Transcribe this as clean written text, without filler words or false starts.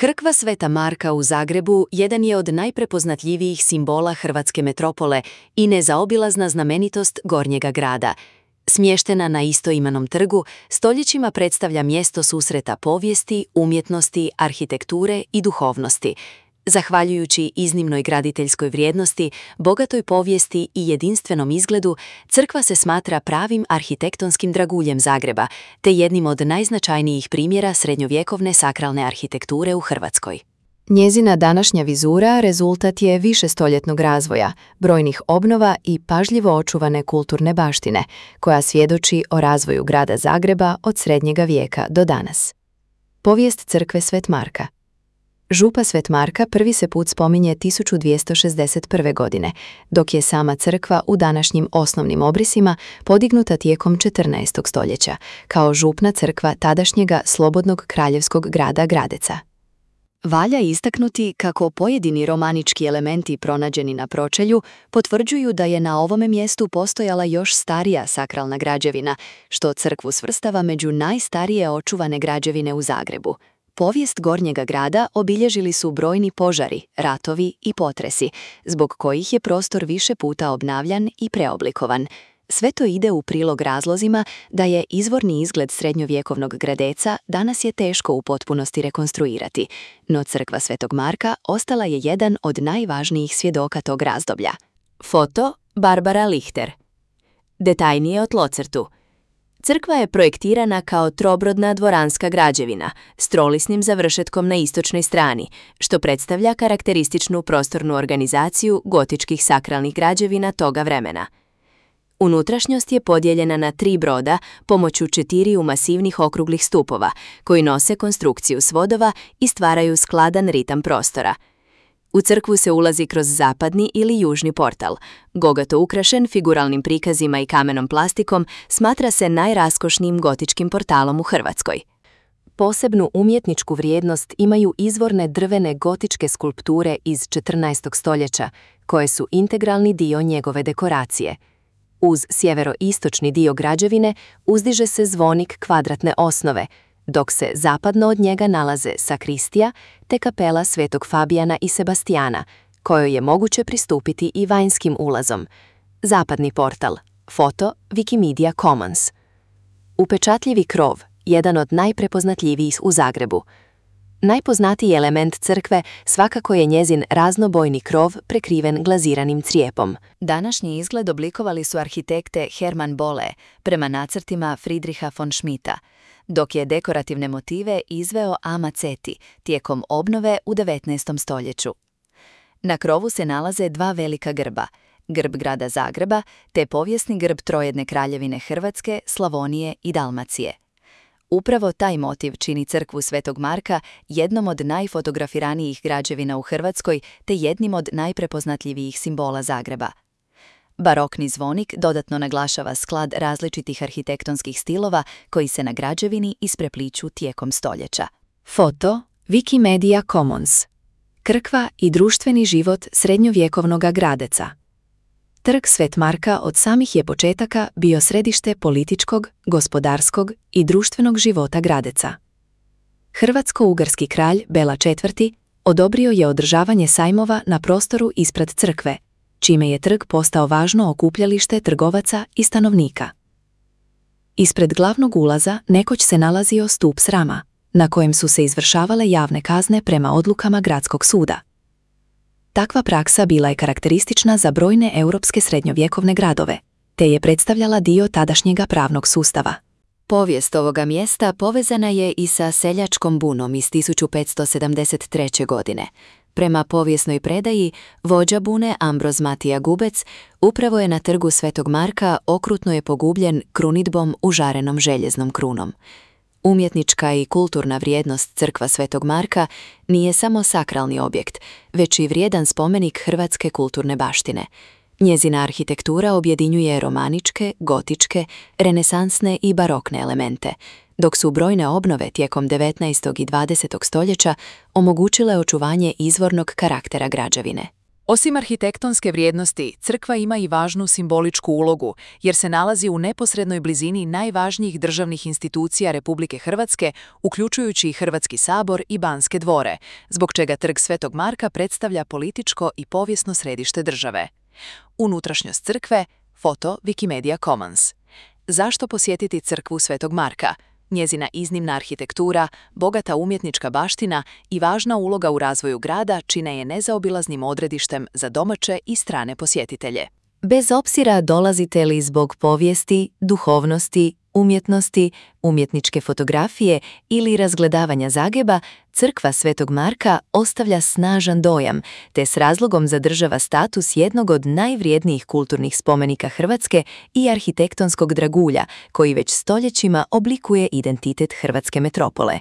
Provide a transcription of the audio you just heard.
Crkva Sveta Marka u Zagrebu jedan je od najprepoznatljivijih simbola hrvatske metropole i nezaobilazna znamenitost Gornjega grada. Smještena na istoimenom trgu, stoljećima predstavlja mjesto susreta povijesti, umjetnosti, arhitekture i duhovnosti. Zahvaljujući iznimnoj graditeljskoj vrijednosti, bogatoj povijesti i jedinstvenom izgledu, crkva se smatra pravim arhitektonskim draguljem Zagreba, te jednim od najznačajnijih primjera srednjovjekovne sakralne arhitekture u Hrvatskoj. Njezina današnja vizura rezultat je višestoljetnog razvoja, brojnih obnova i pažljivo očuvane kulturne baštine, koja svjedoči o razvoju grada Zagreba od srednjega vijeka do danas. Povijest crkve Svet Marka. Župa Svet Marka prvi se put spominje 1261. godine, dok je sama crkva u današnjim osnovnim obrisima podignuta tijekom 14. stoljeća, kao župna crkva tadašnjega slobodnog kraljevskog grada Gradeca. Valja istaknuti kako pojedini romanički elementi pronađeni na pročelju potvrđuju da je na ovome mjestu postojala još starija sakralna građevina, što crkvu svrstava među najstarije očuvane građevine u Zagrebu. Povijest Gornjega grada obilježili su brojni požari, ratovi i potresi, zbog kojih je prostor više puta obnavljan i preoblikovan. Sve to ide u prilog razlozima da je izvorni izgled srednjovjekovnog Gradeca danas je teško u potpunosti rekonstruirati, no crkva Svetog Marka ostala je jedan od najvažnijih svjedoka tog razdoblja. Foto Barbara Lichter. Detaljnije o tlocrtu. Crkva je projektirana kao trobrodna dvoranska građevina s trolisnim završetkom na istočnoj strani, što predstavlja karakterističnu prostornu organizaciju gotičkih sakralnih građevina toga vremena. Unutrašnjost je podijeljena na 3 broda pomoću 4 masivnih okruglih stupova, koji nose konstrukciju svodova i stvaraju skladan ritam prostora. U crkvu se ulazi kroz zapadni ili južni portal. Bogato ukrašen figuralnim prikazima i kamenom plastikom, smatra se najraskošnijim gotičkim portalom u Hrvatskoj. Posebnu umjetničku vrijednost imaju izvorne drvene gotičke skulpture iz 14. stoljeća, koje su integralni dio njegove dekoracije. Uz sjeveroistočni dio građevine uzdiže se zvonik kvadratne osnove, dok se zapadno od njega nalaze sakristija te kapela Svetog Fabijana i Sebastijana, kojoj je moguće pristupiti i vanjskim ulazom. Zapadni portal. Foto Wikimedia Commons. Upečatljivi krov, jedan od najprepoznatljivijih u Zagrebu. Najpoznatiji element crkve svakako je njezin raznobojni krov prekriven glaziranim crijepom. Današnji izgled oblikovali su arhitekte Hermann Bolle prema nacrtima Friedricha von Schmidta, dok je dekorativne motive izveo A. Macetti tijekom obnove u 19. stoljeću. Na krovu se nalaze 2 velika grba, grb grada Zagreba te povijesni grb trojedne kraljevine Hrvatske, Slavonije i Dalmacije. Upravo taj motiv čini crkvu Svetog Marka jednom od najfotografiranijih građevina u Hrvatskoj te jednim od najprepoznatljivijih simbola Zagreba. Barokni zvonik dodatno naglašava sklad različitih arhitektonskih stilova koji se na građevini isprepliću tijekom stoljeća. Foto Wikimedia Commons. Crkva i društveni život srednjovjekovnog Gradeca. Trg Svet Marka od samih je početaka bio središte političkog, gospodarskog i društvenog života Gradeca. Hrvatsko-ugarski kralj Bela IV. Odobrio je održavanje sajmova na prostoru ispred crkve, čime je trg postao važno okupljalište trgovaca i stanovnika. Ispred glavnog ulaza nekoć se nalazio stup srama, na kojem su se izvršavale javne kazne prema odlukama gradskog suda. Takva praksa bila je karakteristična za brojne europske srednjovjekovne gradove, te je predstavljala dio tadašnjega pravnog sustava. Povijest ovoga mjesta povezana je i sa seljačkom bunom iz 1573. godine. Prema povijesnoj predaji, vođa bune Ambroz Matija Gubec upravo je na trgu Svetog Marka okrutno je pogubljen krunidbom užarenom željeznom krunom. Umjetnička i kulturna vrijednost crkva Svetog Marka nije samo sakralni objekt, već i vrijedan spomenik hrvatske kulturne baštine. Njezina arhitektura objedinjuje romaničke, gotičke, renesansne i barokne elemente, dok su brojne obnove tijekom 19. i 20. stoljeća omogućile očuvanje izvornog karaktera građevine. Osim arhitektonske vrijednosti, crkva ima i važnu simboličku ulogu, jer se nalazi u neposrednoj blizini najvažnijih državnih institucija Republike Hrvatske, uključujući i Hrvatski sabor i Banske dvore, zbog čega Trg Svetog Marka predstavlja političko i povijesno središte države. Unutrašnjost crkve, foto Wikimedia Commons. Zašto posjetiti crkvu Svetog Marka? Njezina iznimna arhitektura, bogata umjetnička baština i važna uloga u razvoju grada čine je nezaobilaznim odredištem za domaće i strane posjetitelje. Bez obzira dolazite li zbog povijesti, duhovnosti, umjetnosti, umjetničke fotografije ili razgledavanja Zagreba, crkva Svetog Marka ostavlja snažan dojam, te s razlogom zadržava status jednog od najvrijednijih kulturnih spomenika Hrvatske i arhitektonskog dragulja, koji već stoljećima oblikuje identitet hrvatske metropole.